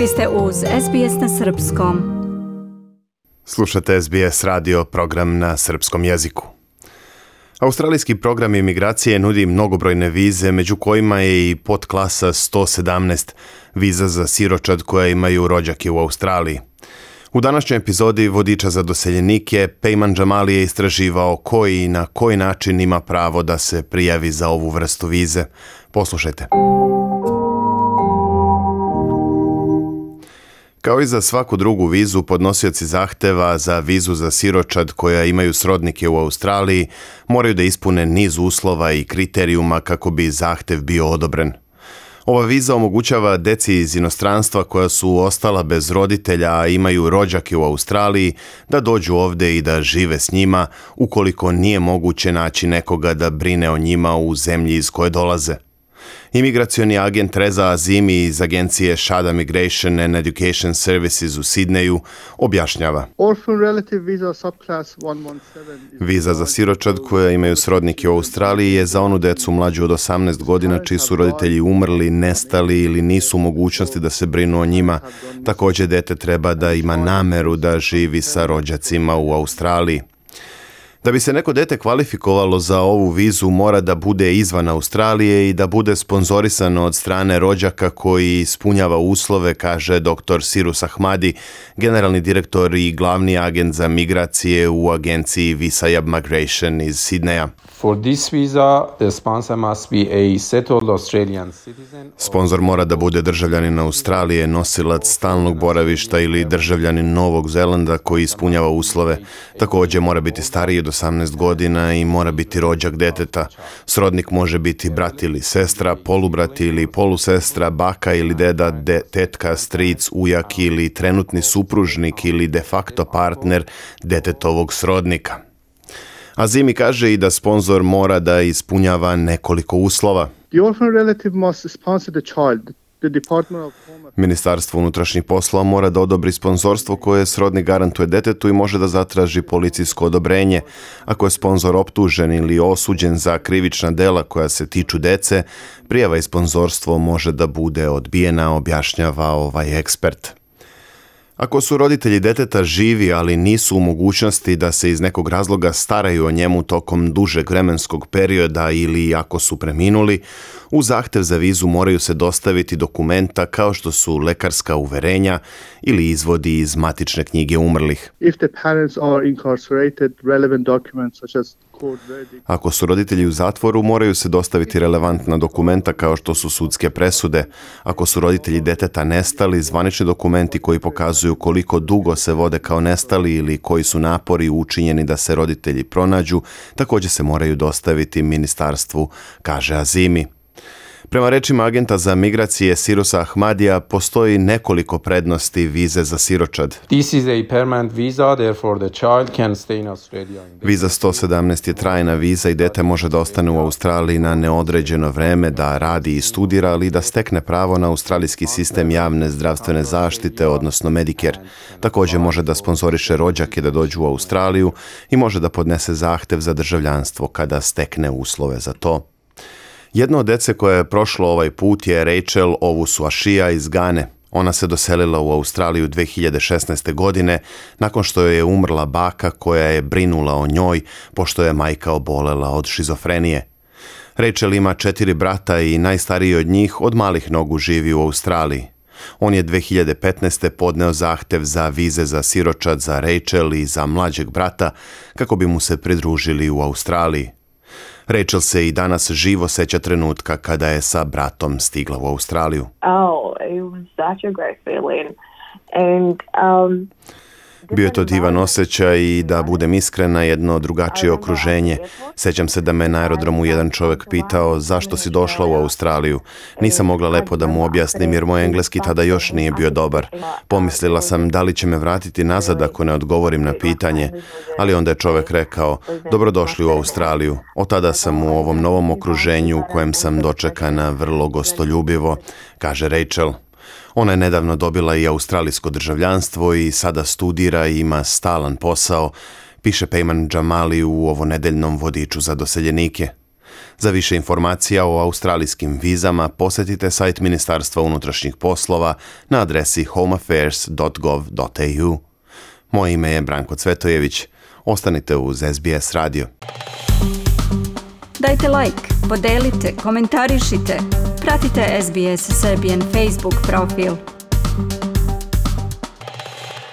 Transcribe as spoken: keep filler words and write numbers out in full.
Vi ste uz S B S na srpskom. Slušate S B S radio, program na srpskom jeziku. Australijski program imigracije nudi mnogobrojne vize, među kojima je i podklasa sto sedamnaest, viza za siročad koja imaju rođake u Australiji. U današnjoj epizodi Vodiča za doseljenike Pejman Džamali je istraživao koji i na koji način ima pravo da se prijavi za ovu vrstu vize. Poslušajte. Kao i za svaku drugu vizu, podnosioci zahteva za vizu za siročad koja imaju srodnike u Australiji moraju da ispune niz uslova i kriterijuma kako bi zahtev bio odobren. Ova viza omogućava deci iz inostranstva koja su ostala bez roditelja, a imaju rođake u Australiji, da dođu ovde i da žive s njima, ukoliko nije moguće naći nekoga da brine o njima u zemlji iz koje dolaze. Imigracioni agent Reza Azimi iz agencije Shada Migration and Education Services u Sidneju objašnjava. Viza za siročad koja imaju srodnike u Australiji je za onu decu mlađu od osamnaest godina čiji su roditelji umrli, nestali ili nisu u mogućnosti da se brinu o njima. Također dete treba da ima nameru da živi sa rođacima u Australiji. Da bi se neko dete kvalifikovalo za ovu vizu, mora da bude izvan Australije i da bude sponzorisano od strane rođaka koji ispunjava uslove, kaže doktor Sirus Ahmadi, generalni direktor i glavni agent za migracije u agenciji Visayab Migration iz Sidneja. For this visa, the sponsor must be a settled Australian citizen. Sponzor mora da bude državljanin Australije, nosilac stalnog boravišta ili državljanin Novog Zelanda koji ispunjava uslove. Također mora biti stariji od osamnaest godina i mora biti rođak deteta. Srodnik može biti brat ili sestra, polubrat ili polusestra, baka ili deda, de, tetka, stric, ujak ili trenutni supružnik ili de facto partner detetovog srodnika. Azimi kaže i da sponzor mora da ispunjava nekoliko uslova. Ministarstvo unutrašnjih poslova mora da odobri sponzorstvo koje srodnik garantuje detetu i može da zatraži policijsko odobrenje. Ako je sponzor optužen ili osuđen za krivična dela koja se tiču dece, prijava i sponzorstvo može da bude odbijena, objašnjava ovaj ekspert. Ako su roditelji deteta živi, ali nisu u mogućnosti da se iz nekog razloga staraju o njemu tokom dužeg vremenskog perioda ili ako su preminuli, u zahtev za vizu moraju se dostaviti dokumenta kao što su lekarska uverenja ili izvodi iz matične knjige umrlih. If the parents are incarcerated, relevant documents such as Ako su roditelji u zatvoru, moraju se dostaviti relevantna dokumenta kao što su sudske presude. Ako su roditelji deteta nestali, zvanični dokumenti koji pokazuju koliko dugo se vode kao nestali ili koji su napori učinjeni da se roditelji pronađu, također se moraju dostaviti ministarstvu, kaže Azimi. Prema rečima agenta za migracije Sirusa Ahmadija, postoji nekoliko prednosti vize za siročad. This is a permanent visa, therefore the child can stay in Australia. Viza sto sedamnaest je trajna viza i dete može da ostane u Australiji na neodređeno vreme, da radi i studira, ali i da stekne pravo na australijski sistem javne zdravstvene zaštite, odnosno Medicare. Također može da sponzoriše rođake da dođu u Australiju i može da podnese zahtev za državljanstvo kada stekne uslove za to. Jedno od dece koje je prošlo ovaj put je Rachel Owusu-Ashia iz Gane. Ona se doselila u Australiju dve hiljade šesnaeste. godine nakon što joj je umrla baka koja je brinula o njoj pošto je majka obolela od šizofrenije. Rachel ima četiri brata i najstariji od njih od malih nogu živi u Australiji. On je dve hiljade petnaeste. podneo zahtev za vize za siročad za Rachel i za mlađeg brata kako bi mu se pridružili u Australiji. Rachel se i danas živo seća trenutka kada je sa bratom stigla u Australiju. Oh, it was such a great feeling. And um Bio je to divan osjećaj i, da budem iskrena, jedno drugačije okruženje. Sećam se da me na aerodromu jedan čovjek pitao zašto si došla u Australiju. Nisam mogla lepo da mu objasnim jer moj engleski tada još nije bio dobar. Pomislila sam da li će me vratiti nazad ako ne odgovorim na pitanje, ali onda je čovjek rekao dobrodošli u Australiju. Od tada sam u ovom novom okruženju u kojem sam dočekana vrlo gostoljubivo, kaže Rachel. Ona je nedavno dobila i australijsko državljanstvo i sada studira i ima stalan posao, piše Pejman Džamali u ovonedeljnom vodiču za doseljenike. Za više informacija o australijskim vizama posjetite sajt Ministarstva unutrašnjih poslova na adresi home affairs dot gov dot a u. Moje ime je Branko Cvetojević. Ostanite uz S B S radio. Dajte like, podelite, komentarišite. Pratite S B S Serbian Facebook profil.